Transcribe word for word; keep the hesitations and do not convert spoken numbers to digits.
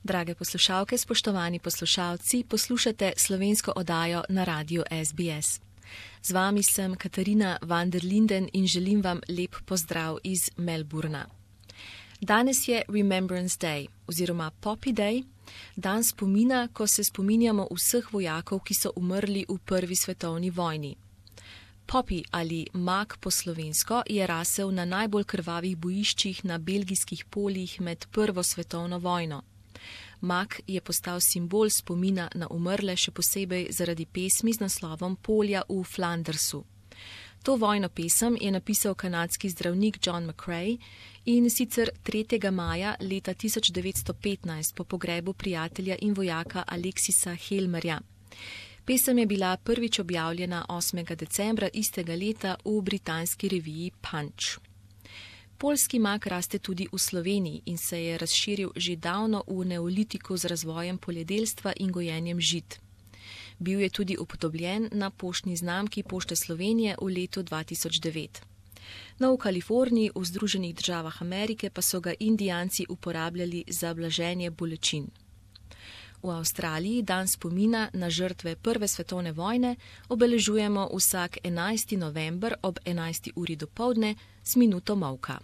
Drage poslušalke, spoštovani poslušalci, poslušate slovensko oddajo na radiu S B S. Z vami sem Katarina van der Linden in želim vam lep pozdrav iz Melbourna. Danes je Remembrance Day oziroma Poppy Day, dan spomina, ko se spominjamo vseh vojakov, ki so umrli v prvi svetovni vojni. Poppy ali mak po slovensko je rasel na najbolj krvavih bojiščih na belgijskih poljih med prvo svetovno vojno. Mak je postal simbol spomina na umrle, še posebej zaradi pesmi z naslovom Polja v Flandersu. To vojno pesem je napisal kanadski zdravnik John McCrae in sicer tretjega maja leta tisoč devetsto petnajst po pogrebu prijatelja in vojaka Alexisa Helmerja. Pesem je bila prvič objavljena osmega decembra istega leta v britanski reviji Punch. Poljski mak raste tudi v Sloveniji in se je razširil že davno v neolitiku z razvojem poljedelstva in gojenjem žit. Bil je tudi upodobljen na poštni znamki Pošte Slovenije v letu dva tisoč devet. No, v Kaliforniji, v Združenih državah Amerike pa so ga Indijanci uporabljali za blaženje bolečin. V Avstraliji dan spomina na žrtve prve svetovne vojne obeležujemo vsak enajsti november ob enajsti uri dopoldne z minuto molka.